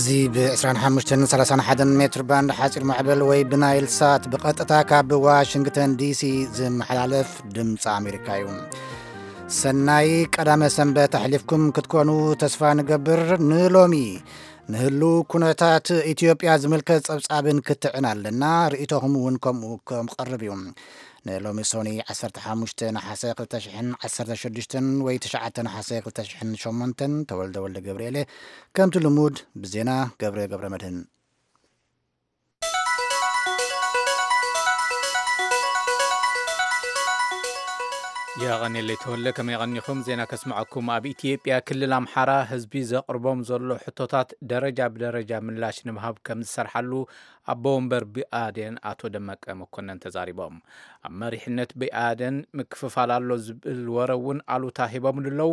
እዚ ብ25ን 31 ሜትር ባንድ ሓፂር ማዕበል ወይ ብናይል ሳት ብቐጥታ ካብ ዋሽንግተን ዲሲ ዝመሓላለፍ ድምፂ ኣሜሪካ እዩ። ሰናይ ቀዳመ ሰንበት ኣሕሊፍኩም ክትኮኑ ተስፋ ንገብር። ንሎሚ ንህሉ ኩነታት ኢትዮጵያ ዝምልከት ጸብጻብን ክትዕን ኣለና። ርእይቶኹም እውን ከምኡ ከም ቀርብ እዩ። ንሎሚ ሶኒ 15 ነሓሰ 2016 ወይ 9 ነሓሰ 2008 ተወልደ ወልደ ገብርኤለ። ከምቲ ልሙድ ብዜና ገብረ ገብረ መድህን። የቐኔለይ ተወልደ፣ ከመይ ቀኒኹም? ዜና ከስምዐኩም። ኣብ ኢትዮጵያ ክልል ኣምሓራ ህዝቢ ዘቕርቦም ዘሎ ሕቶታት ደረጃ ብደረጃ ምላሽ ንምሃብ ከም ዝሰርሓሉ ኣቦ ወንበር ብኣዴን ኣቶ ደመቀ መኮነን ተዛሪቦም። ኣብ መሪሕነት ብኣዴን ምክፍፋል ኣሎ ዝብል ወረ እውን ኣሉታ ሂቦምሉ ኣለዉ።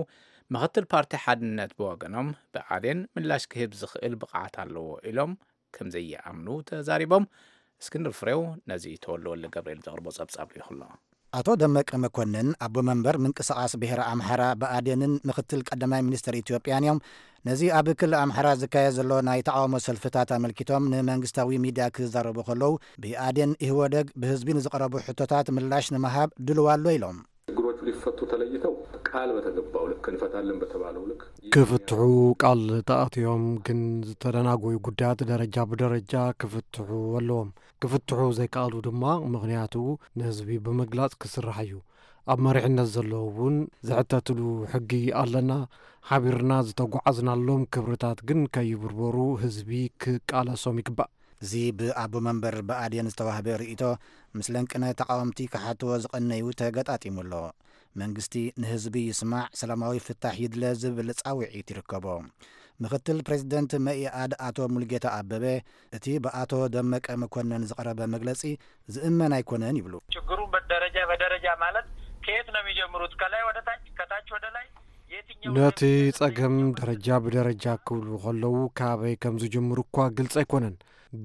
ምኽትል ፓርቲ ሓድነት ብወገኖም ብኣዴን ምላሽ ክህብ ዝኽእል ብቕዓት ኣለዎ ኢሎም ከም ዘይኣምኑ ተዛሪቦም። እስክንድር ፍሬው ነዚ ተወልደ ወልደ ገብርኤል ዘቕርቦ ጸብጻብ ልኢኹ ኣሎ። ኣቶ ደመቀ መኮንን ኣቦ መንበር ምንቅስቓስ ብሄረ ኣምሓራ ብኣዴንን ምኽትል ቀዳማይ ሚኒስትር ኢትዮጵያን እዮም። ነዚ ኣብ ክልል ኣምሓራ ዝካየድ ዘሎ ናይ ተቓውሞ ሰልፍታት ኣመልኪቶም ንመንግስታዊ ሚድያ ክዛረቡ ከለዉ፣ ብኣዴን ኢህወደግ ብህዝቢ ንዝቐረቡ ሕቶታት ምላሽ ንምሃብ ድልዋ ኣሎ ኢሎም። ችግሮቹ ሊፈቱ ተለይተው ቃል በተገባው ልክ እንፈታለን በተባለው ልክ ክፍትሑ ቃል ተኣትዮም ግን ዝተደናጎዩ ጉዳያት ደረጃ ብደረጃ ክፍትሑ ኣለዎም። ክፍትሑ ዘይከኣሉ ድማ ምኽንያቱ ንህዝቢ ብምግላጽ ክስራሕ እዩ። ኣብ መሪሕነት ዘለዉ እውን ዝሕተትሉ ሕጊ ኣለና። ሓቢርና ዝተጓዓዝናሎም ክብርታት ግን ከይብርበሩ ህዝቢ ክቃለሶም ይግባእ። እዚ ብኣቦ መንበር ብኣዴን ዝተዋህበ ርእይቶ ምስ ለንቅነ ተቓወምቲ ክሓትዎ ዝቐነዩ ተገጣጢሙ ኣሎ። መንግስቲ ንህዝቢ ይስማዕ፣ ሰላማዊ ፍታሕ ይድለ ዝብል ጻውዒት ይርከቦ። ምኽትል ፕሬዚደንት መኢኣድ ኣቶ ሙልጌታ ኣበበ እቲ ብኣቶ ደመቀ መኮነን ዝቐረበ መግለጺ ዝእመን ኣይኮነን ይብሉ። ችግሩ ደረጃ በደረጃ ማለት ከየት ነው የሚጀምሩት? ከላይ ወደ ታች፣ ከታች ወደ ላይ? የትኛው ነቲ ጸገም ደረጃ ብደረጃ ክብሉ ከለዉ ካበይ ከም ዝጅምሩ እኳ ግልጺ ኣይኮነን።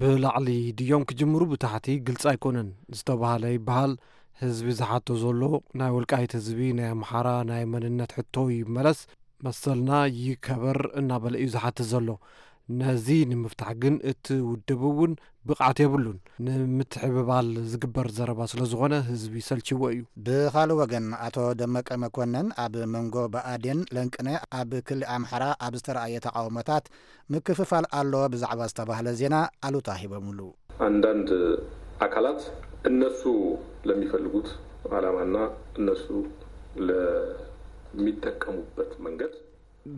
ብላዕሊ ድዮም ክጅምሩ ብታሕቲ ግልጺ ኣይኮነን ዝተባህለ ይበሃል። ህዝቢ ዝሓቶ ዘሎ ናይ ወልቃይት ህዝቢ ናይ ኣምሓራ ናይ መንነት ሕቶ ይመለስ፣ መሰልና ይከበር እናበለ እዩ ዝሓትት ዘሎ። ነዚ ንምፍታሕ ግን እቲ ውድብ እውን ብቕዓት የብሉን። ንምትሕብባል ዝግበር ዘረባ ስለ ዝኾነ ህዝቢ ሰልችዎ እዩ። ብኻልእ ወገን ኣቶ ደመቀ መኮነን ኣብ መንጎ ብኣዴን ለንቅነ ኣብ ክሊ ኣምሓራ ኣብ ዝተረኣየ ተቓውሞታት ምክፍፋል ኣሎ ብዛዕባ ዝተባህለ ዜና ኣሉታ ሂቦምሉ። አንዳንድ አካላት እነሱ ለሚፈልጉት ዓላማና እነሱ ለሚጠቀሙበት መንገድ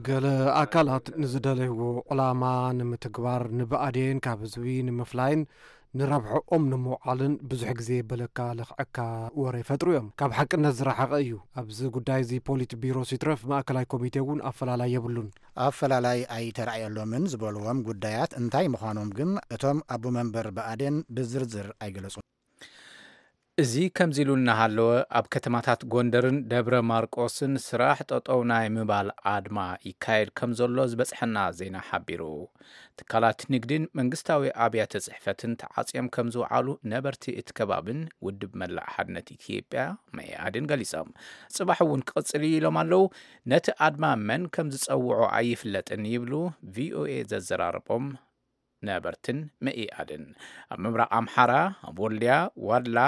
ገለ ኣካላት ንዝደለይዎ ዕላማ ንምትግባር ንብኣዴን ካብ ህዝቢ ንምፍላይን ንረብሐኦም ንምውዓልን ብዙሕ ግዜ በለካ ለኽዐካ ወረ ይፈጥሩ እዮም። ካብ ሓቅነት ዝረሓቐ እዩ። ኣብዚ ጉዳይ እዚ ፖሊት ቢሮ ሲትረፍ ማእከላይ ኮሚቴ እውን ኣፈላላይ የብሉን። ኣፈላላይ ኣይተራእየሎምን ዝበልዎም ጉዳያት እንታይ ምዃኖም ግን እቶም ኣቦ መንበር ብኣዴን ብዝርዝር ኣይገለጹን። እዚ ከምዚ ኢሉ እናሃለወ ኣብ ከተማታት ጎንደርን ደብረ ማርቆስን ስራሕ ጠጠው ናይ ምባል ኣድማ ይካየድ ከም ዘሎ ዝበፅሐና ዜና ሓቢሩ። ትካላት ንግድን መንግስታዊ ኣብያተ ፅሕፈትን ተዓፅዮም ከም ዝውዓሉ ነበርቲ እቲ ከባብን ውድብ መላእ ሓድነት ኢትዮጵያ መኢኣድን ገሊፆም። ፅባሕ እውን ክቕፅል እዩ ኢሎም ኣለዉ። ነቲ ኣድማ መን ከም ዝፀውዖ ኣይፍለጥን ይብሉ ቪኦኤ ዘዘራረቦም ነበርትን መኢኣድን። ኣብ ምብራቕ ኣምሓራ፣ ኣብ ወልድያ፣ ዋድላ፣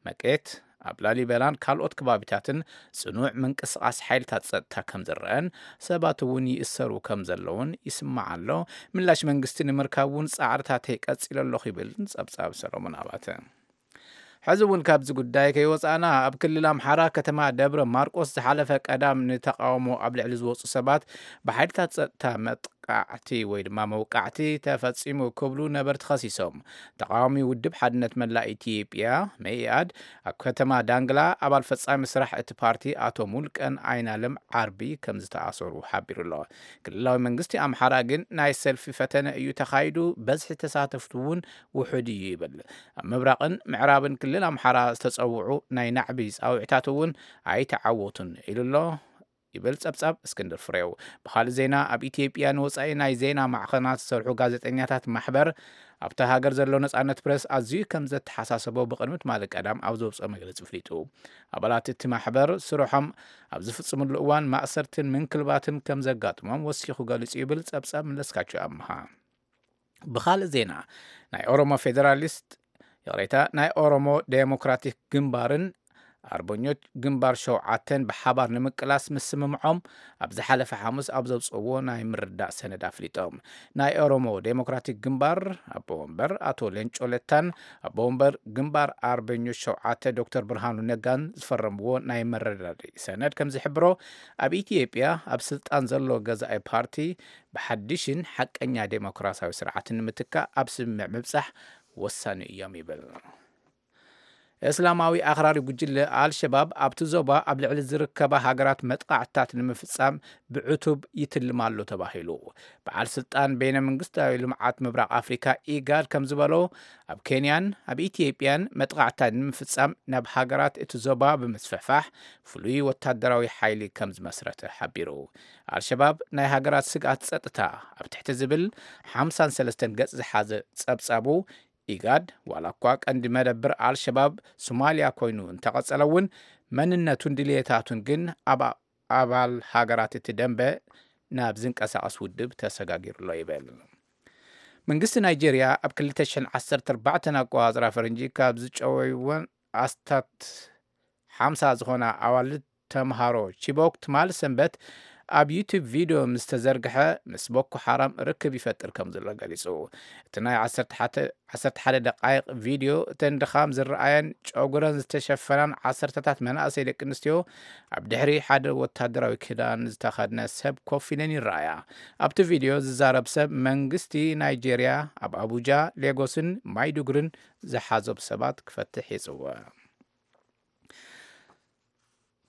መቄት፣ ኣብ ላሊበላን ካልኦት ከባቢታትን ፅኑዕ ምንቅስቓስ ሓይልታት ፀጥታ ከም ዝረአን ሰባት እውን ይእሰሩ ከም ዘለውን ይስማዕ ኣሎ። ምላሽ መንግስቲ ንምርካብ እውን ፃዕርታተይ ቀፂለ ኣለኹ ይብል ፀብፃብ ሰሎሞን ኣባተ። ሕዚ እውን ካብዚ ጉዳይ ከይወፃእና ኣብ ክልል ኣምሓራ ከተማ ደብረ ማርቆስ ዝሓለፈ ቀዳም ንተቃውሞ ኣብ ልዕሊ ዝወፁ ሰባት ብሓይልታት ፀጥታ መጥቃዕቲ ወይ ድማ መውቃዕቲ ተፈፂሙ ክብሉ ነበርቲ ከሲሶም። ተቃዋሚ ውድብ ሓድነት መላእ ኢትዮጵያ መኢኣድ ኣብ ከተማ ዳንግላ ኣባል ፈፃሚ ስራሕ እቲ ፓርቲ ኣቶ ሙልቀን ኣይናለም ዓርቢ ከም ዝተኣሰሩ ሓቢሩ ኣሎ። ክልላዊ መንግስቲ ኣምሓራ ግን ናይ ሰልፊ ፈተነ እዩ ተኻይዱ፣ በዝሒ ተሳተፍቲ እውን ውሑድ እዩ ይብል። ኣብ ምብራቕን ምዕራብን ክልል ኣምሓራ ዝተፀውዑ ናይ ናዕቢ ፃውዒታት እውን ኣይተዓወቱን ኢሉ ኣሎ ይብል ፀብፃብ እስክንድር ፍሬው። ብኻልእ ዜና ኣብ ኢትዮጵያ ንወፃኢ ናይ ዜና ማዕኸናት ዝሰርሑ ጋዜጠኛታት ማሕበር ኣብታ ሃገር ዘሎ ነፃነት ፕረስ ኣዝዩ ከም ዘተሓሳሰቦ ብቕድሚ ትማሊ ቀዳም ኣብ ዘውፅኦ መግለፂ ኣፍሊጡ። ኣባላት እቲ ማሕበር ስርሖም ኣብ ዝፍፅምሉ እዋን ማእሰርትን ምንክልባትን ከም ዘጋጥሞም ወሲኹ ገሊፁ ይብል ፀብፃብ መለስካቸው ኣምሃ። ብኻልእ ዜና፣ ናይ ኦሮሞ ፌዴራሊስት፣ ይቕሬታ፣ ናይ ኦሮሞ ዴሞክራቲክ ግንባርን ኣርበኞች ግንባር ሸውዓተን ብሓባር ንምቅላስ ምስምምዖም ኣብ ዝሓለፈ ሓሙስ ኣብ ዘውፅእዎ ናይ ምርዳእ ሰነድ ኣፍሊጦም። ናይ ኦሮሞ ዴሞክራቲክ ግንባር ኣቦ ወንበር ኣቶ ሌንጮ ለታን ኣቦ ወንበር ግንባር ኣርበኞች ሸውዓተ ዶክተር ብርሃኑ ነጋን ዝፈረምዎ ናይ መረዳድኢ ሰነድ ከም ዝሕብሮ፣ ኣብ ኢትዮጵያ ኣብ ስልጣን ዘሎ ገዛኢ ፓርቲ ብሓድሽን ሓቀኛ ዴሞክራሲያዊ ስርዓትን ንምትካእ ኣብ ስምምዕ ምብጻሕ ወሳኒ እዮም ይብል። እስላማዊ ኣኽራሪ ጉጅለ ኣልሸባብ ኣብቲ ዞባ ኣብ ልዕሊ ዝርከባ ሃገራት መጥቃዕትታት ንምፍጻም ብዕቱብ ይትልም ኣሎ ተባሂሉ። በዓል ስልጣን በይነ መንግስታዊ ልምዓት ምብራቕ ኣፍሪካ ኢጋድ ከም ዝበሎ፣ ኣብ ኬንያን ኣብ ኢትዮጵያን መጥቃዕትታት ንምፍጻም ናብ ሃገራት እቲ ዞባ ብምስፍሕፋሕ ፍሉይ ወታደራዊ ሓይሊ ከም ዝመስረተ ሓቢሩ። ኣልሸባብ ናይ ሃገራት ስግኣት ጸጥታ ኣብ ትሕቲ ዝብል ሓምሳን ሰለስተን ገጽ ዝሓዘ ጸብጻቡ፣ ኢጋድ ዋላ እኳ ቀንዲ መደብር ኣልሸባብ ሶማልያ ኮይኑ እንተቐጸለ እውን፣ መንነቱን ድልየታቱን ግን ኣብ ኣባል ሃገራት እቲ ደንበ ናብ ዝንቀሳቐስ ውድብ ተሰጋጊሩ ኣሎ ይብል። መንግስቲ ናይጄርያ ኣብ ክልተ ሽሕን ዓሰርተ ኣርባዕተን ኣቆጻጽራ ፈረንጂ ካብ ዝጨወይወን ኣስታት ሓምሳ ዝኾና ኣዋልድ ተምሃሮ ቺቦክ ትማል ሰንበት ኣብ ዩቱብ ቪድዮ ምስ ተዘርግሐ፣ ምስ ቦኮ ሓራም ርክብ ይፈጥር ከም ዘሎ ገሊጹ። እቲ ናይ ዓሰርተ ሓደ፣ ዓሰርተ ሓደ ደቃይቕ ቪድዮ፣ እተን ድኻም ዝረኣየን ጨጉረን ዝተሸፈናን ዓሰርተታት መናእሰይ ደቂ ኣንስትዮ ኣብ ድሕሪ ሓደ ወታደራዊ ክዳን ዝተኸድነ ሰብ ኮፍ ኢለን ይረኣያ። ኣብቲ ቪድዮ ዝዛረብ ሰብ መንግስቲ ናይጄርያ ኣብ ኣቡጃ፣ ሌጎስን ማይዱጉርን ዝሓዞም ሰባት ክፈትሕ ይጽውዕ።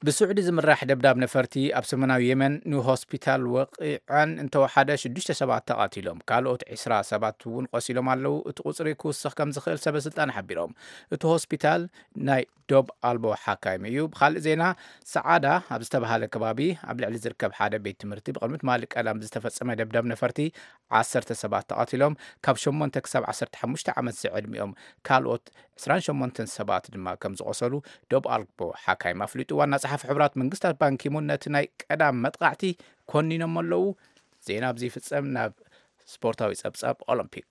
ብስዑዲ ዝምራሕ ደብዳብ ነፈርቲ ኣብ ሰሜናዊ የመን ንሆስፒታል ወቒዐን እንተወሓደ ሽዱሽተ ሰባት ተቓቲሎም፣ ካልኦት ዕስራ ሰባት እውን ቆሲሎም ኣለዉ። እቲ ቁጽሪ ክውስኽ ከም ዝኽእል ሰበ ስልጣን ሓቢሮም። እቲ ሆስፒታል ናይ ዶብ ኣልቦ ሓካይም እዩ። ብኻልእ ዜና፣ ሰዓዳ ኣብ ዝተባሃለ ከባቢ ኣብ ልዕሊ ዝርከብ ሓደ ቤት ትምህርቲ ብቕድሚ ትማሊ ቀዳም ዝተፈጸመ ደብዳብ ነፈርቲ ዓሰርተ ሰባት ተቓቲሎም፣ ካብ ሸሞንተ ክሳብ ዓሰርተ ሓሙሽተ ዓመት ዝዕድሚኦም ካልኦት ዕስራን ሸሞንተን ሰባት ድማ ከም ዝቖሰሉ ዶብ ኣልቦ ሓካይም ኣፍሊጡ። ዋና ጸሓፊ ሕቡራት መንግስታት ባንኪሙን ነቲ ናይ ቀዳም መጥቃዕቲ ኮኒኖም ኣለዉ። ዜና ኣብዚ ይፍጸም። ናብ ስፖርታዊ ጸብጻብ ኦሎምፒክ።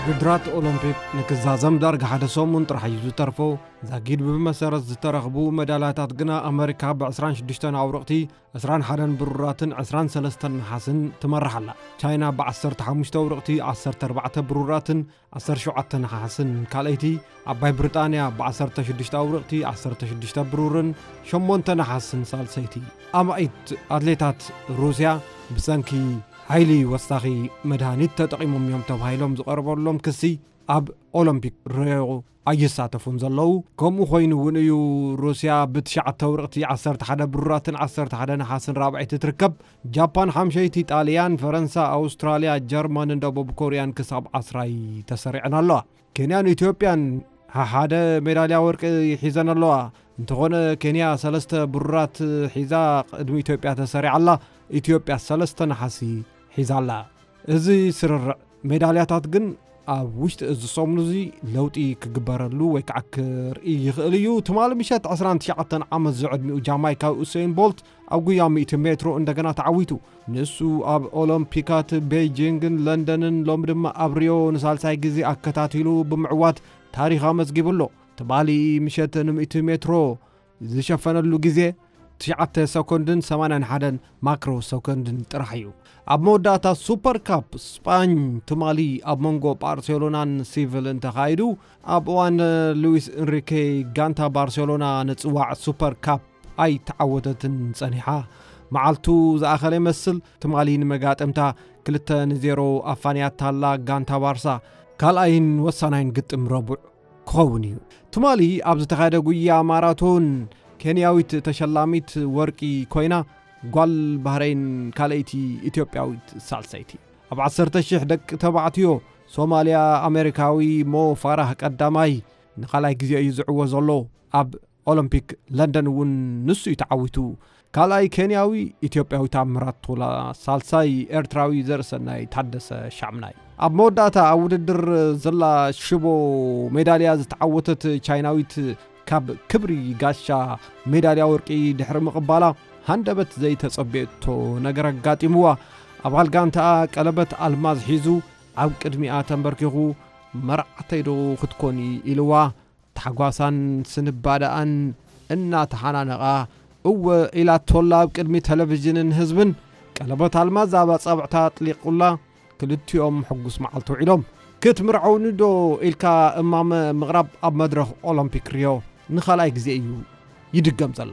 ውድድራት ኦሎምፒክ ንክዛዘም ዳርጋ ሓደ ሰሙን ጥራሕ እዩ ዝተርፎ። ዛጊድ ብመሰረት ዝተረኽቡ መዳልያታት ግና፣ ኣመሪካ ብ ዕስራን ሽዱሽተን ኣውርቕቲ፣ ዕስራን ሓደን ብሩራትን ዕስራን ሰለስተን ነሓስን ትመርሕ ኣላ። ቻይና ብ ዓሰርተ ሓሙሽተ ኣውርቕቲ፣ ዓሰርተ ኣርባዕተ ብሩራትን ዓሰርተ ሸውዓተ ነሓስን ካልኣይቲ፣ ዓባይ ብሪጣንያ ብ ዓሰርተ ሽዱሽተ ኣውርቕቲ፣ ዓሰርተ ሽዱሽተ ብሩርን ሸሞንተ ነሓስን ሳልሰይቲ። ኣማኢት ኣትሌታት ሩስያ ብሰንኪ ሓይሊ ወሳኺ መድሃኒት ተጠቒሞም እዮም ተባሂሎም ዝቐረበሎም ክሲ ኣብ ኦሎምፒክ ሪዮ ኣይሳተፉን ዘለዉ። ከምኡ ኮይኑ እውን እዩ ሩስያ ብትሽዓተ ኣውርቕቲ፣ ዓሰርተ ሓደ ብሩራትን ዓሰርተ ሓደ ነሓስን ራብዐይቲ ትርከብ። ጃፓን ሓምሸይቲ፣ ጣልያን፣ ፈረንሳ፣ ኣውስትራልያ፣ ጀርመንን ደቡብ ኮርያን ክሳብ ዓስራይ ተሰሪዐን ኣለዋ። ኬንያን ኢትዮጵያን ሓደ ሜዳልያ ወርቂ ሒዘን ኣለዋ። እንተኾነ ኬንያ ሰለስተ ብሩራት ሒዛ ቅድሚ ኢትዮጵያ ተሰሪዓ ኣላ። ኢትዮጵያ ሰለስተ ነሓሲ ሒዛ ኣላ። እዚ ስርርዕ ሜዳልያታት ግን ኣብ ውሽጢ እዚ ሰሙን እዚ ለውጢ ክግበረሉ ወይ ከዓ ክርኢ ይኽእል እዩ። ትማሊ ምሸት ዕስራን ትሽዓተን ዓመት ዝዕድሚኡ ጃማይካዊ ኡሰይን ቦልት ኣብ ጉያ ሚእቲ ሜትሮ እንደገና ተዓዊቱ። ንሱ ኣብ ኦሎምፒካት ቤይጂንግን ለንደንን፣ ሎሚ ድማ ኣብ ሪዮ ንሳልሳይ ግዜ ኣከታቲሉ ብምዕዋት ታሪኽ ኣመዝጊቡ ኣሎ። ትማሊ ምሸት ን ሚእቲ ሜትሮ ዝሸፈነሉ ግዜ ትሽዓተ ሰኮንድን ሰማንያን ሓደን ማክሮ ሰኮንድን ጥራሕ እዩ። ኣብ መወዳእታ ሱፐር ካፕ ስጳኝ ትማሊ ኣብ መንጎ ባርሴሎናን ሲቪልን ተኻይዱ። ኣብ እዋን ሉዊስ እንሪኬ ጋንታ ባርሴሎና ንጽዋዕ ሱፐር ካፕ ኣይተዓወተትን ጸኒሓ። መዓልቱ ዝኣኸለ ይመስል። ትማሊ ንመጋጥምታ ክልተ ንዜሮ ኣፋንያታላ ጋንታ ባርሳ። ካልኣይን ወሳናይን ግጥም ረቡዕ ክኸውን እዩ። ትማሊ ኣብ ዝተኻየደ ጉያ ማራቶን፣ ኬንያዊት ተሸላሚት ወርቂ ኮይና፣ ጓል ባህረይን ካልኣይቲ፣ ኢትዮጵያዊት ሳልሰይቲ። ኣብ ዓሰርተ ሽሕ ደቂ ተባዕትዮ፣ ሶማልያ ኣሜሪካዊ ሞ ፋራህ ቀዳማይ ንኻልኣይ ግዜ እዩ ዝዕወት ዘሎ። ኣብ ኦሎምፒክ ለንደን እውን ንሱ እዩ ተዓዊቱ። ካልኣይ ኬንያዊ፣ ኢትዮጵያዊ ታምራት ቶላ፣ ሳልሳይ ኤርትራዊ ዘርእሰናይ ታደሰ ሻምናይ። ኣብ መወዳእታ ኣብ ውድድር ዝላ ሽቦ ሜዳልያ ዝተዓወተት ቻይናዊት ካብ ክብሪ ጋሻ ሜዳልያ ወርቂ ድሕሪ ምቕባላ፣ ሃንደበት ዘይተጸበየቶ ነገር ኣጋጢምዋ። ኣባል ጋንታኣ ቀለበት ኣልማዝ ሒዙ ኣብ ቅድሚኣ ተንበርኪኹ፣ "መርዓተይ ዶ ክትኮኒ?" ኢልዋ። ታሕጓሳን ስንባደኣን እናተሓናነቓ፣ "እወ" ኢላቶላ ኣብ ቅድሚ ቴሌቪዥንን ህዝብን። ቀለበት ኣልማዝ ኣብ ኣጻብዕታ ኣጥሊቑላ። ክልቲኦም ሕጉስ መዓልቲ ውዒሎም። "ክትምርዐውኒ ዶ?" ኢልካ እማመ ምቕራብ ኣብ መድረኽ ኦሎምፒክ ሪዮ ንኻልኣይ ግዜ እዩ ይድገም ዘሎ።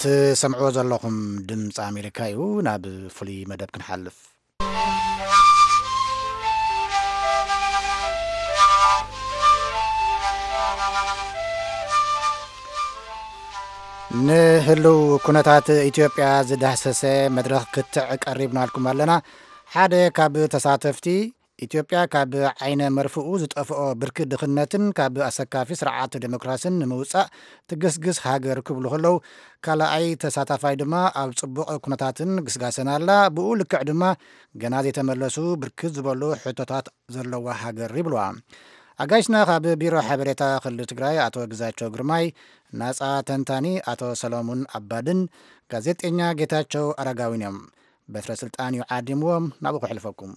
ትሰምዕዎ ዘለኹም ድምፂ ኣሜሪካ እዩ። ናብ ፍሉይ መደብ ክንሓልፍ። ንህልው ኩነታት ኢትዮጵያ ዝዳህሰሰ መድረኽ ክትዕ ቀሪብናልኩም ኣለና። ሓደ ካብ ተሳተፍቲ፣ ኢትዮጵያ ካብ ዓይነ መርፍኡ ዝጠፍኦ ብርኪ ድኽነትን ካብ ኣሰካፊ ስርዓት ዴሞክራሲን ንምውጻእ ትግስግስ ሃገር ክብሉ ከለዉ፣ ካልኣይ ተሳታፋይ ድማ ኣብ ጽቡቕ ኩነታትን ግስጋሰን ኣላ፣ ብኡ ልክዕ ድማ ገና ዘይተመለሱ ብርክት ዝበሉ ሕቶታት ዘለዋ ሃገር ይብልዋ። ኣጋይሽና ካብ ቢሮ ሓበሬታ ክልል ትግራይ ኣቶ ግዛቸው ግርማይ፣ ናጻ ተንታኒ ኣቶ ሰሎሙን ኣባድን ጋዜጠኛ ጌታቸው ኣረጋዊን እዮም። በትረ ስልጣን እዩ ዓዲምዎም፣ ናብኡ ከሕልፈኩም።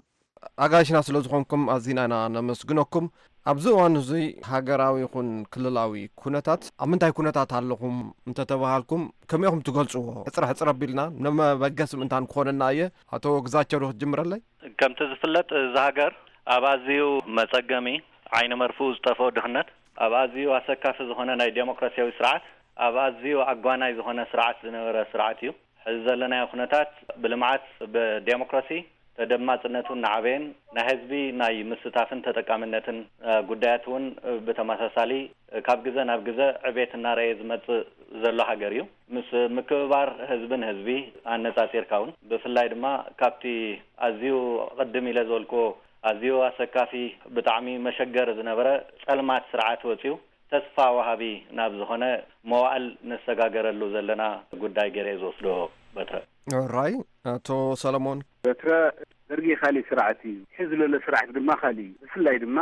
ኣጋይሽና ስለ ዝኾንኩም ኣዚና ኢና ነመስግነኩም። ኣብዚ እዋን እዚ ሃገራዊ ይኹን ክልላዊ ኩነታት፣ ኣብ ምንታይ ኩነታት ኣለኹም እንተተባሃልኩም፣ ከመይ ኢኹም ትገልጽዎ? ሕጽረ ሕጽረ ኣቢልና ንመበገሲ ምእንታን ክኾነና እየ። ኣቶ ግዛቸው ዶ ክትጅምረለይ? ከምቲ ዝፍለጥ፣ እዚ ሃገር ኣብ ኣዝዩ መጸገሚ፣ ዓይኒ መርፍኡ ዝጠፍኦ ድኽነት፣ ኣብ ኣዝዩ ኣሰካፊ ዝኾነ ናይ ዴሞክራሲያዊ ስርዓት፣ ኣብ ኣዝዩ ኣጓናይ ዝኾነ ስርዓት ዝነበረ ስርዓት እዩ። ሕዚ ዘለናዮ ኩነታት ብልምዓት፣ ብዴሞክራሲ፣ ተደማጽነቱ እናዓበየን ናይ ህዝቢ ናይ ምስታፍን ተጠቃምነትን፣ እ፣ ጉዳያት እውን፣ እ፣ ብተመሳሳሊ፣ እ፣ ካብ ግዘ ናብ ግዘ ዕቤት እናረኣየ ዝመጽእ ዘሎ ሃገር እዩ። ምስ ምክብባር ህዝቢ ንህዝቢ ኣነጻጺርካ እውን፣ ብፍላይ ድማ ካብቲ ኣዝዩ ቅድም ኢለ ዝበልክዎ ኣዝዩ ኣሰካፊ፣ ብጣዕሚ መሸገሪ ዝነበረ ጸልማት ስርዓት ወጺኡ ተስፋ ወሃቢ ናብ ዝኾነ መዋእል ንሰጋገረሉ ዘለና ጉዳይ ገይረ እየ ዝወስዶ። በትረ። ራይ፣ ኣቶ ሰለሞን። በትረ፣ ደርጊ ካሊእ ስርዓት እዩ። ሕዚ ዘሎ ስርዓት ድማ ካሊእ እዩ። ብፍላይ ድማ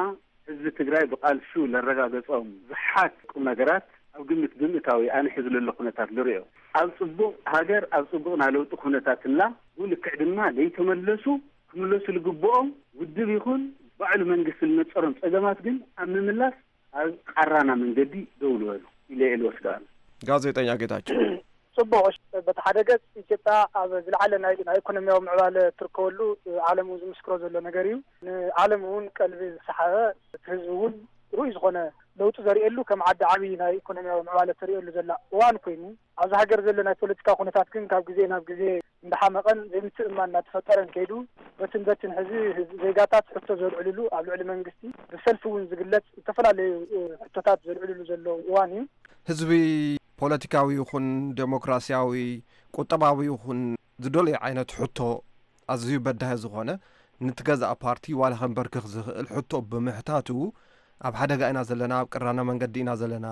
ህዝቢ ትግራይ ብቃልሱ ለረጋገጾም ብዙሓት ቁም ነገራት ኣብ ግምት ብምእታዊ ኣነ ሕዚ ዘሎ ኩነታት ልሪኦ። ኣብ ጽቡቕ ሃገር፣ ኣብ ጽቡቕ ናይ ለውጢ ኩነታት እንላ፣ ብኡ ልክዕ ድማ ዘይተመለሱ፣ ክምለሱ ልግብኦም ውድብ ይኹን ባዕሉ መንግስቲ ልነጸሮም ጸገማት ግን ኣብ ምምላስ ኣብ ቃራና መንገዲ ደው ልበሉ ኢለ እየ ልወስዶ ኣነ። ጋዜጠኛ ጌታቸው። ጽቡቕ። በቲ ሓደ ገጽ ኢትዮጵያ ኣብ ዝለዓለ ናይ፣ ናይ ኢኮኖሚያዊ ምዕባለ ትርከበሉ፣ ዓለም እውን ዝምስክሮ ዘሎ ነገር እዩ። ንዓለም እውን ቀልቢ ዝሰሓበ፣ እቲ ህዝቢ እውን ርኡይ ዝኾነ ለውጢ ዘርእየሉ፣ ከም ዓዲ ዓብዪ ናይ ኢኮኖሚያዊ ምዕባለ ተርእየሉ ዘላ እዋን ኮይኑ፣ ኣብዚ ሃገር ዘሎ ናይ ፖለቲካ ኩነታት ግን ካብ ግዜ ናብ ግዜ እንዳሓመቐን ዘይምትእምማን እናተፈጠረን ከይዱ፣ በትን በትን ሕዚ ህዝቢ፣ ዜጋታት ሕቶ ዘልዕልሉ፣ ኣብ ልዕሊ መንግስቲ ብሰልፊ እውን ዝግለጽ ዝተፈላለዩ፣ እ፣ ሕቶታት ዘልዕልሉ ዘለዉ እዋን እዩ። ህዝቢ ፖለቲካዊ ይኹን ዴሞክራሲያዊ፣ ቁጠባዊ ይኹን ዝደልዮ ዓይነት ሕቶ፣ ኣዝዩ በዳሂ ዝኾነ፣ ንትገዛእ ፓርቲ ዋላ ከንበርክኽ ዝኽእል ሕቶ ብምሕታቱ፣ ኣብ ሓደጋ ኢና ዘለና፣ ኣብ ቅራነ መንገዲ ኢና ዘለና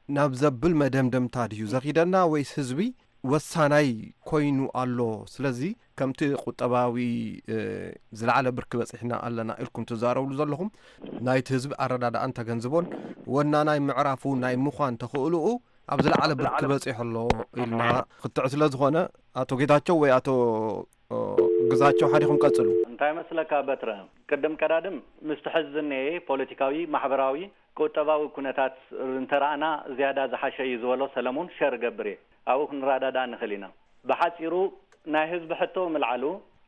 ናብ ዘብል መደምደምታ ድዩ ዘኺደና፣ ወይስ ህዝቢ ወሳናይ ኮይኑ ኣሎ? ስለዚ ከምቲ ቁጠባዊ፣ እ፣ ዝለዓለ ብርኪ በጺሕና ኣለና ኢልኩም ትዛረብሉ ዘለኹም፣ ናይቲ ህዝቢ ኣረዳድኣን ተገንዝቦን ወናናይ ምዕራፉ ናይ ምዃን ተኽእሎኡ ኣብ ዝለዓለ ብርኪ በጺሑ ኣሎ ኢልና ክትዕ ስለ ዝኾነ፣ ኣቶ ጌታቸው ወይ ኣቶ፣ እ፣ ግዛቸው፣ ሓዲኹም ቀጽሉ። እንታይ መስለካ በትረ? ቅድም ቀዳድም ምስቲ ሕዚ ዝነኤ ፖለቲካዊ፣ ማሕበራዊ፣ ቁጠባዊ ኩነታት እንተረኣና ዝያዳ ዝሓሸ እዩ ዝበሎ ሰለሙን ሸር እገብር እየ። ኣብኡ ክንረዳዳእ ንኽእል ኢና። ብሓጺሩ ናይ ህዝቢ ሕቶ ምልዓሉ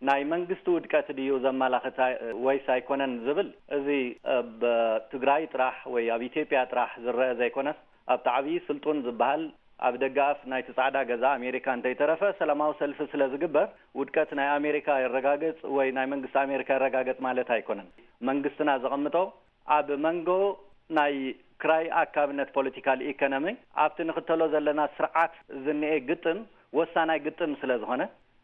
ናይ መንግስቲ ውድቀት ድዩ ዘመላኽት ኣይ-፣ ወይስ ኣይኮነን ዝብል፣ እዚ ኣብ ትግራይ ጥራሕ ወይ ኣብ ኢትዮጵያ ጥራሕ ዝረአ ዘይኮነስ፣ ኣብቲ ዓብዪ ስልጡን ዝበሃል ኣብ ደገኣፍ ናይቲ ጻዕዳ ገዛ ኣሜሪካ እንተይተረፈ ሰላማዊ ሰልፊ ስለ ዝግበር፣ ውድቀት ናይ ኣሜሪካ የረጋግጽ ወይ ናይ መንግስቲ ኣሜሪካ የረጋግጽ ማለት ኣይኮነን። መንግስትና ዘቐምጦ ኣብ መንጎ ናይ ክራይ ኣካብነት ፖለቲካል ኢኮኖሚ ኣብቲ ንኽተሎ ዘለና ስርዓት ዝንኤ ግጥም ወሳናይ ግጥም ስለ ዝኾነ፣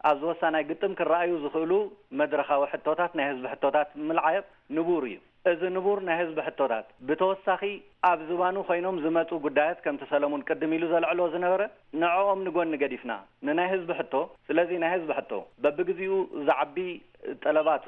ኣብዚ ወሳናይ ግጥም ክረኣዩ ዝኽእሉ መድረኻዊ ሕቶታት፣ ናይ ህዝቢ ሕቶታት ምልዓል ንቡር እዩ። እዚ ንቡር ናይ ህዝቢ ሕቶታት፣ ብተወሳኺ ኣብ ዝባኑ ኮይኖም ዝመጹ ጉዳያት፣ ከምቲ ሰለሙን ቅድም ኢሉ ዘልዕሎ ዝነበረ፣ ንዕኦም ንጎኒ ገዲፍና፣ ንናይ ህዝቢ ሕቶ፣ ስለዚ ናይ ህዝቢ ሕቶ፣ በብግዜኡ ዝዓቢ ጠለባቱ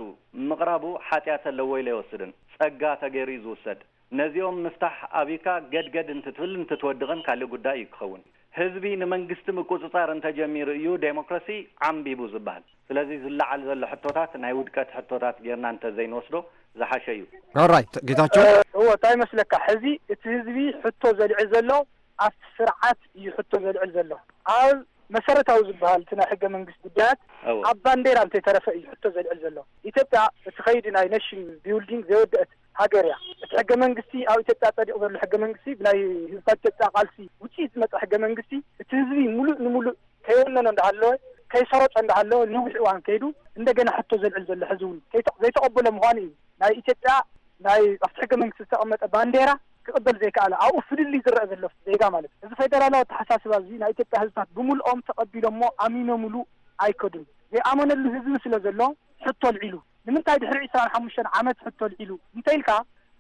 ምቕራቡ ሓጢኣት ኣለዎ ኢለ ኣይወስድን። ጸጋ ተገይሩ እዩ ዝውሰድ። ነዚኦም ምፍታሕ ኣብዩካ ገድገድ እንትትብል እንትትወድቕን ካልእ ጉዳይ እዩ ክኸውን። ህዝቢ ንመንግስቲ ምቁጽጻር እንተጀሚሩ እዩ ዴሞክራሲ ዓምቢቡ ዝበሃል። ስለዚ ዝለዓል ዘሎ ሕቶታት ናይ ውድቀት ሕቶታት ጌርና እንተዘይንወስዶ ዝሓሸ እዩ። ኦራይት፣ ጌታቸው። እዎ፣ እንታይ ይመስለካ፣ ሕዚ እቲ ህዝቢ ሕቶ ዘልዕል ዘሎ ኣብቲ ስርዓት እዩ ሕቶ ዘልዕል ዘሎ። ኣብ መሰረታዊ ዝበሃል እቲ ናይ ሕገ መንግስቲ ጉዳያት እዎ። ኣብ ባንዴራ እንተይተረፈ እዩ ሕቶ ዘልዕል ዘሎ። ኢትዮጵያ እቲ ከይዲ ናይ ኔሽን ቢልዲንግ ዘይወደአት ሃገር እያ። እቲ ሕገ መንግስቲ፣ ኣብ ኢትዮጵያ ጸዲቑ ዘሎ ሕገ መንግስቲ፣ ብናይ ህዝብታት ኢትዮጵያ ቃልሲ ውፅኢት ዝመፀ ሕገ መንግስቲ፣ እቲ ህዝቢ ሙሉእ ንሙሉእ ከይወነኖ እንዳሃለወ፣ ከይሰረጾ እንዳሃለወ ነዊሕ እዋን ከይዱ፣ እንደገና ሕቶ ዘልዕል ዘሎ ሕዚ እውን ከይተ-፣ ዘይተቐበሎ ምዃኑ እዩ። ናይ ኢትዮጵያ ናይ ኣብቲ ሕገ መንግስቲ ዝተቐመጠ ባንዴራ ክቕበል ዘይከኣለ፣ ኣብኡ ፍልልይ ዝረአ ዘሎ ዜጋ ማለት እዩ። እዚ ፌደራላዊ ኣተሓሳስባ እዚ ናይ ኢትዮጵያ ህዝብታት ብምልኦም ተቐቢሎሞ ኣሚኖምሉ ኣይከዱን። ዘይኣመነሉ ህዝቢ ስለ ዘሎ ሕቶ ኣልዒሉ። ንምንታይ ድሕሪ ዕስራን ሓሙሽተን ዓመት ሕቶ ኣልዒሉ እንተኢልካ፣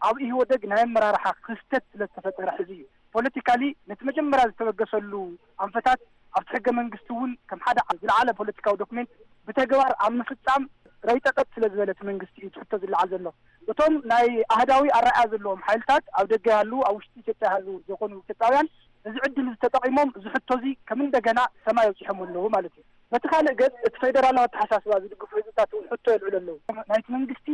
ኣብ ኢህወደግ ናይ ኣመራርሓ ክፍተት ስለ ዝተፈጠረ ሕዚ እዩ። ፖለቲካሊ ነቲ መጀመርያ ዝተበገሰሉ ኣንፈታት ኣብቲ ሕገ መንግስቲ እውን ከም ሓደ ዝለዓለ ፖለቲካዊ ዶክሜንት ብተግባር ኣብ ምፍጻም ረይጠጠጥ ስለ ዝበለ እቲ መንግስቲ እዩ እቲ ሕቶ ዝለዓል ዘሎ። እቶም ናይ ኣህዳዊ ኣረኣእያ ዘለዎም ሓይልታት ኣብ ደገ ይሃልዉ ኣብ ውሽጢ ኢትዮጵያ ይሃልዉ ዘይኮኑ ኢትዮጵያውያን እዚ ዕድል እዚ ተጠቒሞም እዚ ሕቶ እዚ ከም እንደገና ሰማይ ኣብፂሖም ኣለዉ ማለት እዩ። በቲ ካልእ ገፅ እቲ ፌደራላዊ ኣተሓሳስባ ዝድግፉ ህዝብታት እውን ሕቶ የልዕሉ ኣለዉ። ናይቲ መንግስቲ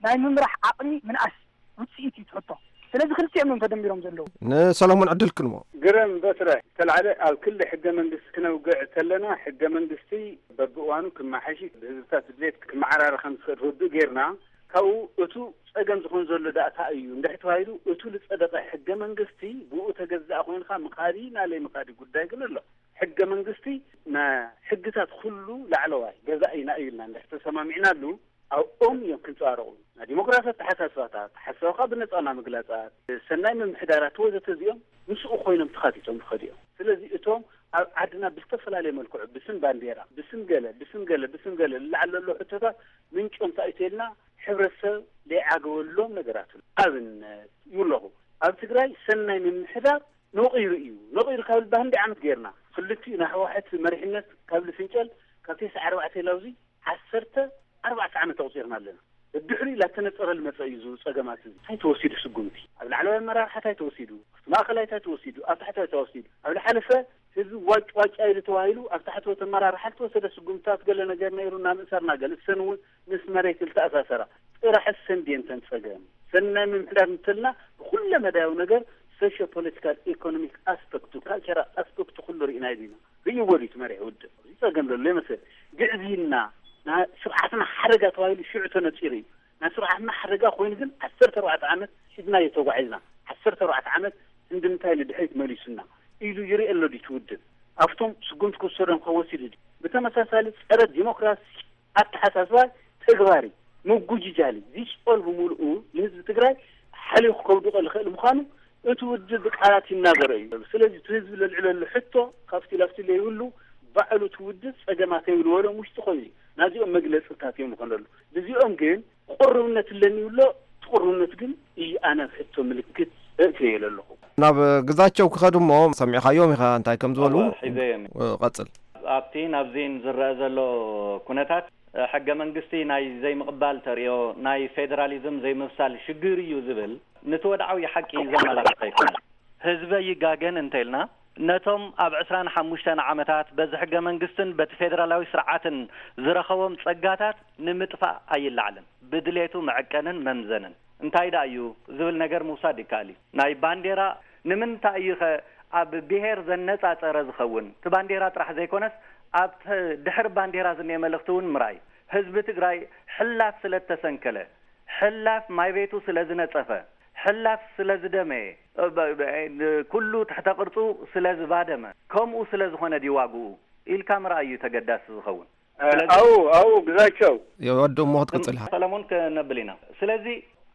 ናይ ምምራሕ ዓቕሚ ምንኣስ ውፅኢት እዩ እቲ ሕቶ። ስለዚ ክልቲኦም እዮም ተደሚሮም ዘለዉ። ንሰሎሞን ዕድል ክንቦ። ግረም በስረ ዝተላዕለ ኣብ ክሊ ሕገ መንግስቲ ክነውግዕ ተለና ሕገ መንግስቲ በብእዋኑ ክመሓሽ ብህዝብታት ድሌት ክመዓራረ ከም ዝኽእል ርዱእ ጌርና ካብኡ እቱ ጸገም ዝኾን ዘሎ ዳእታ እዩ እንድሕር ተባሂሉ እቱ ልጸደቐ ሕገ መንግስቲ ብኡ ተገዛእ ኮይንካ ምኻዲ ናለይ ምኻዲ ጉዳይ ግን ኣሎ። ሕገ መንግስቲ ንሕግታት ኩሉ ላዕለዋይ ገዛኢና እዩ ኢልና እንድሕር ተሰማሚዕናሉ ኣብኦም እዮም ክንጸባረቑ። ናይ ዲሞክራሲ ኣተሓሳስባታት፣ ሓሳብካ ብነጻ ናይ ምግላጻት፣ ሰናይ ምምሕዳራት ወዘተ እዚኦም ምስኡ ኮይኖም ተኻቲቶም ዝኸዱ እዮም። ስለዚ እቶም ኣብ ዓድና ብዝተፈላለየ መልክዑ ብስም ባንዴራ፣ ብስም ገለ፣ ብስም ገለ፣ ብስም ገለ ዝለዓል ዘሎ ሕቶታት ምንጮም እንታይ እዩ ተልና ሕብረተሰብ ዘይዓገበሎም ነገራት እዩ። ኣብነት ይብለኹ ኣብ ትግራይ ሰናይ ምምሕዳር ነቒሩ እዩ። ነቒሩ ካብ ልባ ክንደይ ዓመት ጌርና ክልቲኡ ናይ ህወሓት መሪሕነት ካብ ልፍንጨል ካብ ተስዓ ኣርባዕተ ኢላውዚ ዓሰርተ ኣርባዕተ ዓመት ኣቑፂርና ኣለና። ድሕሪኡ ላተነፀረ ልመፀ እዩ እዚ ፀገማት እዚ። እንታይ ተወሲዱ ስጉምቲ? ኣብ ላዕለዋይ ኣመራርሓ እንታይ ተወሲዱ? ኣብቲ ማእኸላይ እንታይ ተወሲዱ? ኣብ ታሕተዋይ እንታይ ተወሲዱ? ኣብ ዝሓለፈ ህዝቢ ዋጭ ዋጭ ኣይሉ ተባሂሉ ኣብ ታሕተዎት ኣመራርሓ ዝተወሰደ ስጉምትታት ገለ ነገር ነይሩ እናምእሰርና ገለ እሰን እውን ምስ መሬት ዝተኣሳሰራ ጥራሕ እሰን ድየን ተን ፀገም ሰናይ ምምሕዳር እንተልና ብኩለ መዳያዊ ነገር ሶሾ ፖለቲካል ኢኮኖሚክ ኣስፐክቱ ካልቸራል ኣስፐክቱ ኩሉ ርኢና ዲና ርእይዎ ድዩ እቲ መሪሕ ውድብ? እዚ ጸገም ዘሎ ይመስል። ግዕዝይና ናይ ስርዓትና ሓደጋ ተባሂሉ ሽዑ ተነጺሩ እዩ። ናይ ስርዓትና ሓደጋ ኮይኑ ግን ዓሰርተ ኣርባዕተ ዓመት ሒዝናዮ ተጓዒዝና። ዓሰርተ ኣርባዕተ ዓመት ክንዲ እንታይ ንድሕሪት መሊሱና ኢሉ ይርኢ ኣሎ ድዩ እቲ ውድብ? ኣብቶም ስጉምቲ ክወሰዶም ከወሲዱ ድዩ? ብተመሳሳሊ ጸረ ዲሞክራሲ ኣተሓሳስባ ተግባሪ ምጉጅጃል እዩ። እዚ ጾል ብምሉኡ ንህዝቢ ትግራይ ሓሊኹ ከውድቆ ዝኽእል ምዃኑ እቲ ውድብ ብቃላት ይናገሮ እዩ። ስለዚ እቲ ህዝቢ ለልዕለሉ ሕቶ ካብቲ ላፍቲ ለይብሉ ባዕሉ እቲ ውድብ ጸገማተይ ይብልዎ ሎም ውሽጢ ኮይኑ እዩ። ናዚኦም መግለጽታት እዮም ዝኾነሉ። ብዚኦም ግን ቅሩብነት ኣለኒ ይብሎ። እቲ ቅሩብነት ግን እዩ ኣነ ኣብ ሕቶ ምልክት እእትዮ ኣለኹ። ናብ ግዛቸው ክኸዱ እሞ ሰሚዕኻዮም ኢኻ እንታይ ከም ዝበሉ? እወ፣ ሒዘዮም እየ። ቀጽል። ኣብቲ ናብዚን ዝረአ ዘሎ ኩነታት ሕገ መንግስቲ ናይ ዘይምቕባል ተርእዮ ናይ ፌደራሊዝም ዘይምብሳል ሽግር እዩ ዝብል ንትወድዓዊ ሓቂ ዘመላኽት ኣይኮነን። ህዝበ ይጋገን እንተኢልና ነቶም ኣብ ዕስራን ሓሙሽተን ዓመታት በዚ ሕገ መንግስትን በቲ ፌደራላዊ ስርዓትን ዝረኸቦም ጸጋታት ንምጥፋእ ኣይለዓልን። ብድሌቱ መዐቀንን መምዘንን እንታይ ደኣ እዩ ዝብል ነገር ምውሳድ ይከኣል እዩ። ናይ ባንዴራ ንምንታይ እዩ ኸ ኣብ ብሄር ዘነጻጸረ ዝኸውን? እቲ ባንዴራ ጥራሕ ዘይኮነስ ኣብ ድሕሪ ባንዴራ ዝኒኤ መልእኽቲ እውን ምርኣይ። ህዝቢ ትግራይ ሕላፍ ስለ እተሰንከለ፣ ሕላፍ ማይ ቤቱ ስለ ዝነጸፈ፣ ሕላፍ ስለ ዝደመየ፣ እ፣ በ-፣ በ-፣ እ፣ ኩሉ ትሕተ ቅርጹ ስለ ዝባደመ፣ ከምኡ ስለ ዝኾነ ድዩ ዋግኡ ኢልካ ምርኣይ እዩ ተገዳሲ ዝኸውን። እ፣ ስለዚ ኣው፣ ኣው፣ ግዛቸው። የወዱ እሞ ክትቅጽል ኢኻ። ሰለሞን ክነብል ኢና። ስለዚ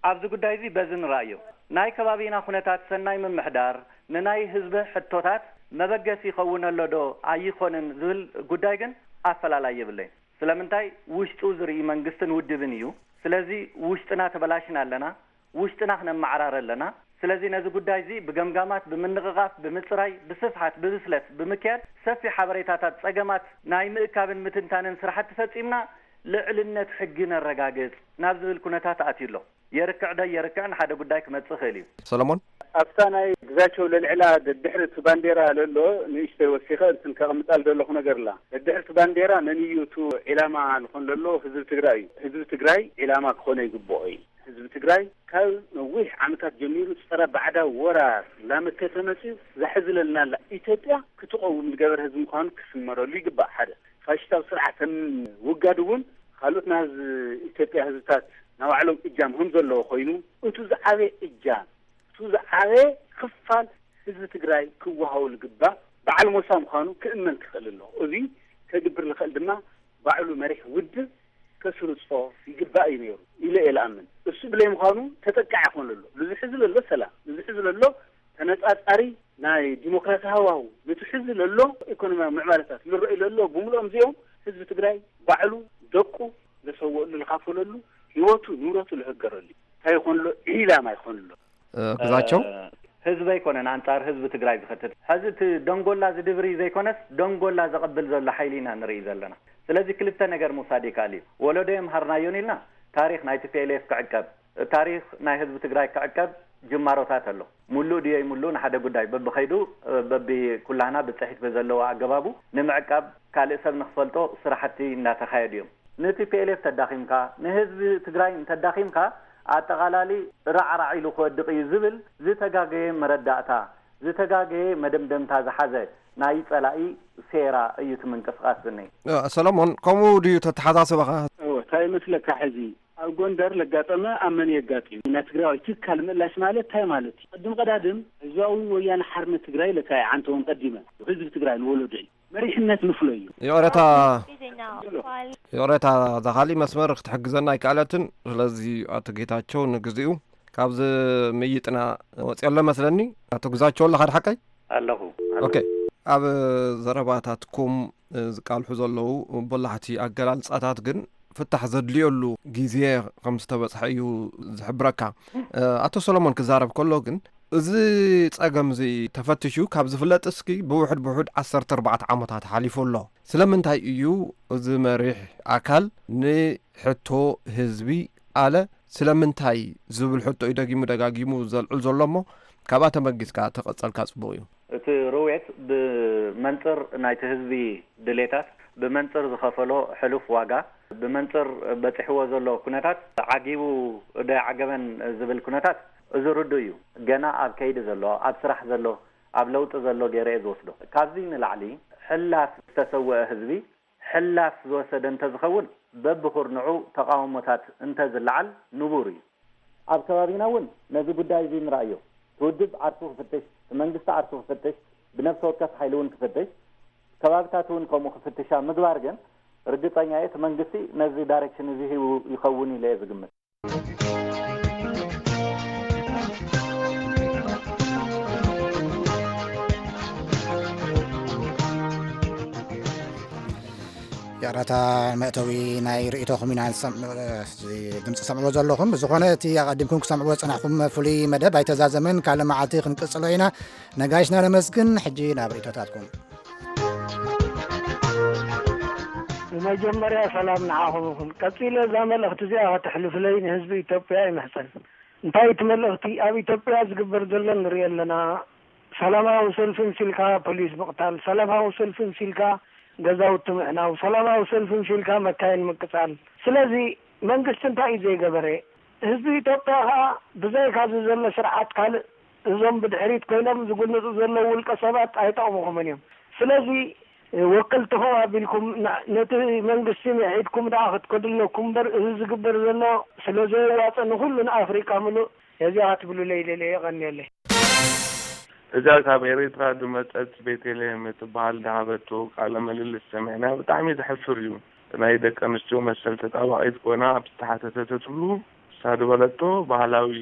ኣብዚ ጉዳይ እዚ በዚ ንርኣዮ። ናይ ከባቢና ኩነታት ሰናይ ምምሕዳር ንናይ ህዝቢ ሕቶታት መበገሲ ይኸውን ኣሎ ዶ ኣይኾንን ዝብል ጉዳይ ግን ኣፈላላይ የብለይን። ስለምንታይ ውሽጡ ዝርኢ መንግስትን ውድብን እዩ። ስለዚ ውሽጥና ተበላሽና ኣለና። ውሽጥና ክነመዓራረ ኣለና። ስለዚ ነዚ ጉዳይ እዚ ብገምጋማት፣ ብምንቕቓፍ፣ ብምጽራይ፣ ብስፍሓት፣ ብብስለት ብምክያድ ሰፊሕ ሓበሬታታት ጸገማት ናይ ምእካብን ምትንታንን ስራሕቲ ፈጺምና ልዕልነት ሕጊ ነረጋግጽ ናብ ዝብል ኩነታት ኣትዩ ኣሎ። የርክዕ ዶ የርክዕን ሓደ ጉዳይ ክመጽእ ይኽእል እዩ። ሰለሞን። ኣብታ ናይ ግዛቸው ለልዕላ ደድሕሪ እቲ ባንዴራ ለሎ ንእሽተይ ወሲኸ እንትን ከቕምጣል ዘለኹ ነገር ኣላ። ደድሕሪ እቲ ባንዴራ መን እዩ እቱ ዒላማ ዝኾን ለሎ? ህዝቢ ትግራይ እዩ። ህዝቢ ትግራይ ዒላማ ክኾነ ይግብኦ እዩ። ህዝቢ ትግራይ ካብ ነዊሕ ዓመታት ጀሚሩ ጸረ ባዕዳዊ ወራር እናመከተ መጺኡ። ዛሕዝለልና ኣላ ኢትዮጵያ ክትቐውም ዝገበር ህዝቢ ምዃኑ ክስመረሉ ይግባእ። ሓደ ፋሽስታዊ ስርዓት ምውጋድ እውን ካልኦት ናይ ኢትዮጵያ ህዝብታት ናይ ባዕሎም እጃም ከም ዘለዎ ኮይኑ፣ እቱ ዝዓበየ እጃም፣ እቱ ዝዓበየ ክፋል ህዝቢ ትግራይ ክወሃቦ ዝግባእ በዓል ሞሳ ምዃኑ ክእመን ክኽእል ኣለዎ። እዚ ከግብር ዝኽእል ድማ ባዕሉ መሪሕ ውድብ ከስርጾ ይግባእ እዩ ነይሩ ኢለ እየ ዝኣምን። እሱ ብለይ ምዃኑ ተጠቃዒ ክኾን ኣሎ። ብዙሕ ህዝቢ ኣሎ ሰላም፣ ብዙሕ ህዝቢ ኣሎ ተነጻጻሪ ናይ ዲሞክራሲ ሃዋሁ፣ ነቲ ሕዚ ለሎ ኢኮኖሚያዊ ምዕባለታት ዝረኣዩ ለሎ ብምልኦም እዚኦም ህዝቢ ትግራይ ባዕሉ ደቁ ለሰወእሉ፣ ልኻፈለሉ፣ ህይወቱ ንብረቱ ልህገረሉ እንታይ ይኾን ኣሎ? ዒላማ ይኾን ኣሎ። ግዛቸው ህዝቢ ኣይኮነን ኣንጻር ህዝቢ ትግራይ ዝኸትት። ሕዚ እቲ ደንጎላ ዝድብሪ ዘይኮነስ ደንጎላ ዘቐብል ዘሎ ሓይሊ ኢና ንርኢ ዘለና። ስለዚ ክልተ ነገር ምውሳድ ይከኣል እዩ። ወለዶ የምሃርናዮን ኢልና ታሪኽ ናይ ቲ ፒ ኤል ኤፍ ክዕቀብ፣ ታሪኽ ናይ ህዝቢ ትግራይ ክዕቀብ ጅማሮታት ኣሎ። ሙሉእ ድዮ ይሙሉእ ንሓደ ጉዳይ በብኸይዱ በቢ ኩላህና ብፅሒት ብዘለዎ ኣገባቡ ንምዕቃብ ካልእ ሰብ ንክፈልጦ ስራሕቲ እንዳተኻየዱ እዮም። ን ቲ ፒ ኤል ኤፍ ተዳኺምካ ንህዝቢ ትግራይ እንተዳኺምካ ኣጠቓላሊ ራዕራዕ ኢሉ ክወድቕ እዩ ዝብል ዝተጋገየ መረዳእታ ዝተጋገየ መደምደምታ ዝሓዘ ናይ ፀላኢ ሴራ እዩ እቲ ምንቅስቓስ ዝኒሀ። ሰለሞን ከምኡ ድዩ ተተሓሳስባኻ? እወ እንታይ ይመስለካ ሕዚ ኣብ ጎንደር ለጋጠመ ኣብ መን የጋጢም ናይ ትግራዋይ ትካል ምእላሽ ማለት እንታይ ማለት እዩ? ቅድም ቀዳድም ህዝባዊ ወያነ ሓርነት ትግራይ ለካየ ዓንተውን ቀዲመ ህዝቢ ትግራይ ንወለዶ እዩ መሪሕነት ንፍሎ እዩ። ይቕረታ ይቕረታ እዛ ካሊእ መስመር ክትሕግዘና ኣይከኣለትን። ስለዚ ኣቶ ጌታቸው ንግዚኡ ካብዚ ምይጥና ወፂኦ ኣሎ መስለኒ። ኣቶ ግዛቸው ኣለኻ ድሓቀይ? ኣለኹ። ኦኬ። ኣብ ዘረባታትኩም ዝቃልሑ ዘለዉ በላሕቲ ኣገላልፃታት ግን ፍታሕ ዘድልየሉ ግዜ ከም ዝተበፅሐ እዩ ዝሕብረካ። ኣቶ ሰሎሞን ክዛረብ ከሎ ግን እዚ ፀገም እዚ ተፈትሹ ካብ ዝፍለጥ እስኪ ብውሕድ ብውሕድ ዓሰርተ ኣርባዕተ ዓመታት ሓሊፉ ኣሎ። ስለምንታይ እዩ እዚ መሪሕ ኣካል ንሕቶ ህዝቢ ኣለ ስለምንታይ ዝብል ሕቶ እዩ ደጊሙ ደጋጊሙ ዘልዕል ዘሎ እሞ ካብኣ ተመጊስካ ተቐጸልካ ጽቡቕ እዩ። እቲ ርዌት ብመንጽር ናይቲ ህዝቢ ድሌታት፣ ብመንጽር ዝኸፈሎ ሕሉፍ ዋጋ፣ ብመንጽር በጺሕዎ ዘሎ ኩነታት ዓጊቡ ዶ ኣይዓገበን ዝብል ኩነታት እዚ ርዱእ እዩ። ገና ኣብ ከይዲ ዘሎ፣ ኣብ ስራሕ ዘሎ፣ ኣብ ለውጢ ዘሎ ገይረ እየ ዝወስዶ። ካብዚ ንላዕሊ ሕላፍ ዝተሰወአ ህዝቢ ሕላፍ ዝወሰደ እንተዝኸውን በብኹርንዑ ተቓውሞታት እንተዝለዓል ንቡር እዩ። ኣብ ከባቢና እውን ነዚ ጉዳይ እዚ ንርኣዮ። እቲ ውድብ ዓርሱ ክፍትሽ፣ እቲ መንግስቲ ዓርሱ ክፍትሽ፣ ብነብሰ ወከፍ ሓይሊ እውን ክፍትሽ፣ ከባብታት እውን ከምኡ ክፍትሻ ምግባር ግን ርግጸኛ እየ እቲ መንግስቲ ነዚ ዳይሬክሽን እዚ ሂቡ ይኸውን ኢለ እየ ዝግምት። ይቕረታ መእተዊ ናይ ርእይቶኹም ኢና ድምፂ ሰምዕዎ ዘለኹም። ብዝኾነ እቲ ኣቐዲምኩም ክሰምዕዎ ዝፀናሕኹም ፍሉይ መደብ ኣይተዛዘመን፣ ካልእ መዓልቲ ክንቅፅሎ ኢና። ነጋሽና ነመስግን። ሕጂ ናብ ርእይቶታትኩም። ብመጀመርያ ሰላም ንዓኹም ይኹን። ቀጺለ እዛ መልእኽቲ እዚኣ ከተሕልፉለይ ንህዝቢ ኢትዮጵያ ይምሕጸን። እንታይ እቲ መልእኽቲ? ኣብ ኢትዮጵያ ዝግበር ዘሎ ንሪኦ ኣለና። ሰላማዊ ሰልፊ ምሲልካ ፖሊስ ምቕታል፣ ሰላማዊ ሰልፊ ምሲልካ ገዛውቲ ምዕናው፣ ሰላማዊ ሰልፊ ምሲልካ መካይን ምቅጻል። ስለዚ መንግስቲ እንታይ እዩ ዘይገበረ? ህዝቢ ኢትዮጵያ ኸኣ ብዘይካ እዚ ዘሎ ስርዓት ካልእ እዞም ብድሕሪት ኮይኖም ዝጉንጹ ዘለዉ ውልቀ ሰባት ኣይጠቕሙኹምን እዮም። ስለዚ ወከልትኹም ኣቢልኩም ነቲ መንግስቲ ምዒድኩም ደኣ ክትከዱ ኣለኩም እምበር፣ እዚ ዝግበር ዘሎ ስለ ዘየዋጽእ ንኹሉ ንኣፍሪቃ ምሉእ ነዚኣ ክትብሉለይ ደልየ። የቐንየለይ። እዛ ካብ ኤሪትራ ዝመጸት ቤቴልሄም እትበሃል ዝሃበቶ ቃለ ምልልስ ሰሚዕና ብጣዕሚ ዘሕፍር እዩ። ናይ ደቂ ኣንስትዮ መሰል ተጣባቒት ኮይና ኣብ ዝተሓተተትሉ ንሳ ዝበለቶ ባህላዊ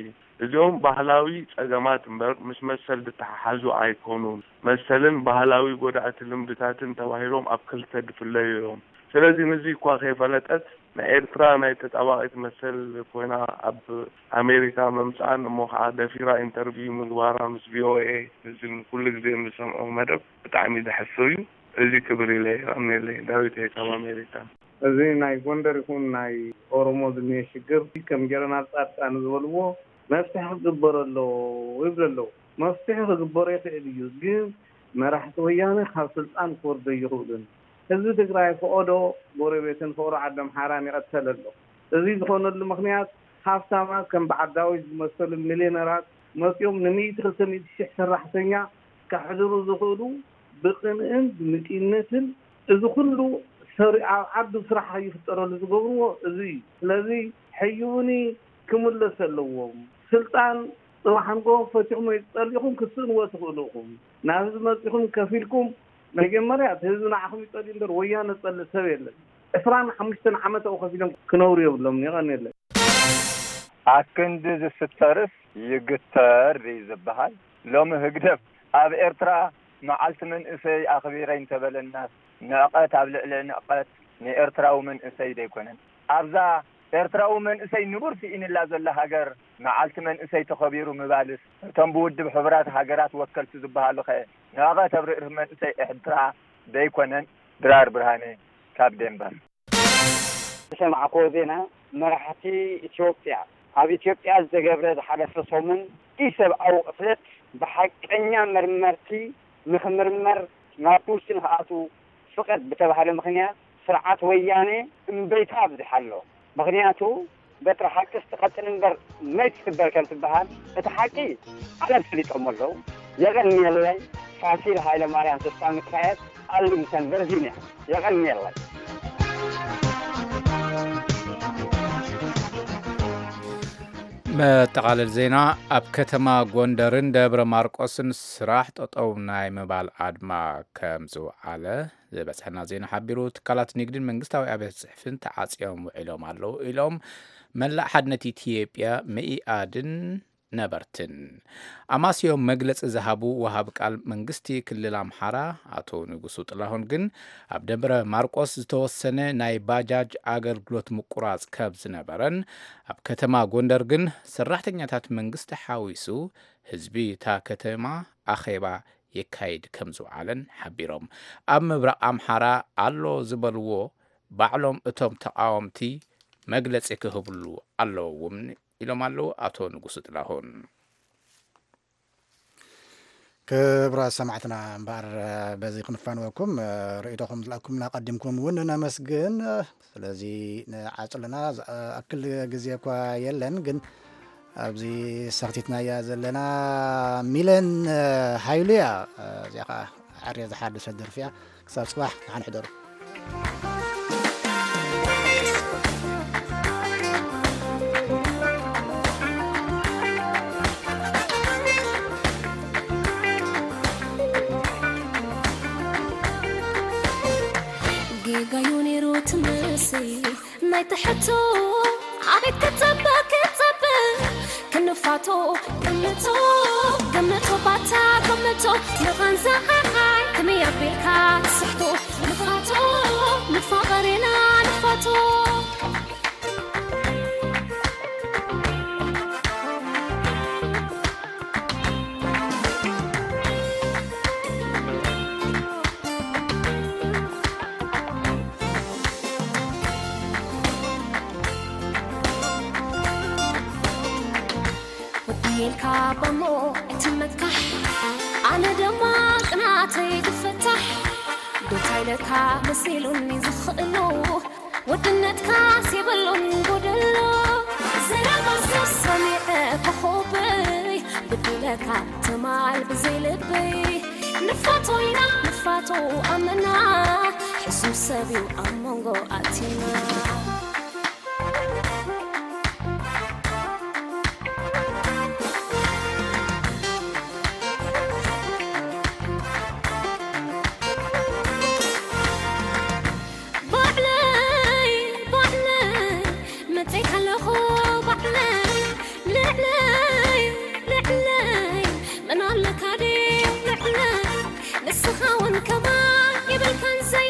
እዚኦም ባህላዊ ጸገማት እምበር ምስ መሰል ዝተሓሓዙ ኣይኮኑን። መሰልን ባህላዊ ጎዳእቲ ልምድታትን ተባሂሎም ኣብ ክልተ ዝፍለዩ እዮም። ስለዚ ንዚ እኳ ከይፈለጠት ንኤርትራ ናይ ተጣባቒት መሰል ኮይና ኣብ ኣሜሪካ ምምጽኣን እሞ ኸዓ ደፊራ ኢንተርቪው ምግባራ ምስ ቪኦኤ ንዚ ኩሉ ግዜ እንሰምዖ መደብ ብጣዕሚ ዘሕፍር እዩ። እዚ ክብር ኢለ የቐንየለይ። ዳዊት እየ ካብ ኣሜሪካ። እዚ ናይ ጎንደር ይኹን ናይ ኦሮሞ ዝኒሀ ሽግር ከም ጀነራል ጻድቃን ዝበልዎ መፍትሒ ክግበረሎ ይብሉ ኣለዉ። መፍትሒ ክግበሮ ይኽእል እዩ፣ ግን መራሕቲ ወያነ ካብ ስልጣን ክወርዶ ኣይኽእሉን። ህዝቢ ትግራይ ፈቐዶ ጎረቤትን ፍቕሪ ዓዲ ኣምሓራን ይቐተለ ኣሎ። እዚ ዝኾነሉ ምኽንያት ሃፍታማት ከም በዓል ዳዊት ዝመሰሉ ሚልዮነራት መፂኦም ንሚእቲ ክልተ ሚእቲ ሺሕ ሰራሕተኛ ከሕድሩ ዝኽእሉ ብቅንእን ብምጭነትን እዚ ኩሉ ሰሪ-፣ ኣብ ዓዱ ስራሕ ይፍጠረሉ ዝገብርዎ እዚ እዩ። ስለዚ ሕዩኒ ክምለስ ኣለዎም። ስልጣን ጽባሕ ንግሆ ፈቲኹም ወይ ጸሊኹም ክትስእንዎ ትኽእሉ ኢኹም። ናብ ህዝቢ መጺኹም ከፊልኩም መጀመርያ እቲ ህዝቢ ንዓኹም ይጸልእ እምበር ወያነ ዝጸልእ ሰብ የለን። ዕስራን ሓሙሽተን ዓመት ኣብኡ ከፊሎም ክነብሩ የብሎም። የቐንየለይ። ኣክንዲ ዝስተርስ ይግተር እዩ ዝበሃል። ሎሚ ህግደፍ ኣብ ኤርትራ መዓልቲ መንእሰይ ኣኽቢረ እንተበለናስ ንዕቀት ኣብ ልዕሊ ንዕቀት ንኤርትራዊ መንእሰይ ደይኮነን። ኣብዛ ኤርትራዊ መንእሰይ ንቡር ስኢንላ ዘላ ሃገር መዓልቲ መንእሰይ ተኸቢሩ ምባልስ እቶም ብውድብ ሕቡራት ሃገራት ወከልቲ ዝበሃሉኸ ንዕቀት ኣብ ርእሲ መንእሰይ ኤርትራ ደይኮነን? ድራር ብርሃነ ካብ ዴንቨር። ዝሰማዕክዎ ዜና፣ መራሕቲ ኢትዮጵያ ኣብ ኢትዮጵያ ዝተገብረ ዝሓለፈ ሰሙን ኢሰብኣዊ ቅትለት ብሓቀኛ መርመርቲ ንኽምርመር ናብ ውሽጢ ንኽኣትዉ ፍቐድ ብተባህለ ምኽንያት ስርዓት ወያነ እምበይታ ኣብዚሓ ኣሎ። ምኽንያቱ በትሪ ሓቅስ ትቐጥን እምበር መይት ትስበር ከም ትበሃል እቲ ሓቂ ዓለም ፈሊጦሞ ኣለዉ። የቐንየለይ። ፋሲል ሃይለማርያም ተስፋ ሚካኤል ኣርሊንግተን ቨርጂንያ። የቐንየለይ። መጠቓለል ዜና። ኣብ ከተማ ጎንደርን ደብረ ማርቆስን ስራሕ ጠጠው ናይ ምባል ኣድማ ከም ዝወዓለ ዝበፅሐና ዜና ሓቢሩ። ትካላት ንግድን መንግስታዊ ኣብያተ ፅሕፍትን ተዓፅዮም ውዒሎም ኣለዉ ኢሎም መላእ ሓድነት ኢትዮጵያ መኢኣድን ነበርትን። ኣማስዮም መግለፂ ዝሃቡ ወሃቢ ቃል መንግስቲ ክልል ኣምሓራ ኣቶ ንጉሱ ጥላሁን ግን ኣብ ደብረ ማርቆስ ዝተወሰነ ናይ ባጃጅ ኣገልግሎት ምቁራፅ ከም ዝነበረን ኣብ ከተማ ጎንደር ግን ሰራሕተኛታት መንግስቲ ሓዊሱ ህዝቢ እታ ከተማ ኣኼባ የካይድ ከም ዝውዓለን ሓቢሮም። ኣብ ምብራቕ ኣምሓራ ኣሎ ዝበልዎ ባዕሎም እቶም ተቓወምቲ መግለፂ ክህብሉ ኣለዎም ኢሎም ኣለዉ ኣቶ ንጉሱ ጥላሁን። ክቡራት ሰማዕትና እምበኣር በዚ ክንፋንወኩም ርእይቶኹም ዝለኣኩምና ቀዲምኩም እውን ነመስግን። ስለዚ ንዓጹ ኣለና። ዝኣክል ግዜ እኳ የለን፣ ግን ኣብዚ ሰኽቲትናያ ዘለና ሚለን ሃይሉያ። እዚኣ ኸዓ ዓርየ ዝሓደሰት ደርፊ እያ። ክሳብ ጽባሕ ደሓን ሕደሩ። ጌጋዩ ነይሩ ትመስል ናይ ትሕቶ ኣቤት ክጸበ ክጸበ ክንፋቶ ግምቶ ግምቶ ባታ ግምቶ ንቐንዛ ዓዓይ ከመይ ኣቢልካ ትስሕቶ ንፋቶ ንፋቐር ኢና ንፋቶ። ወዲልካ በሞ እቲ መካሕ ኣነ ደማ ቅናተይ ክፍታሕ ዶታይ ለካ መሲሉኒ ዝኽእሎ ወድነትካ ሲብሉን ጎደሎ ዘረባ ሰብ ሰሚዐ ኮኾበይ ብድለካ ትማል ብዘይ ልበይ ንፋቶ ኢና ንፋቶ ኣመና ሕሱም ሰብ እዩ ኣብ መንጎ ኣቲና። ባዕለይ ባዕለይ መፀይካ ኣለኹ ባዕለይ ልዕለይ ልዕለይ መን ኣለካ ድዩ ልዕለይ ንስኻ እውን ከማን የብልካን ዘይ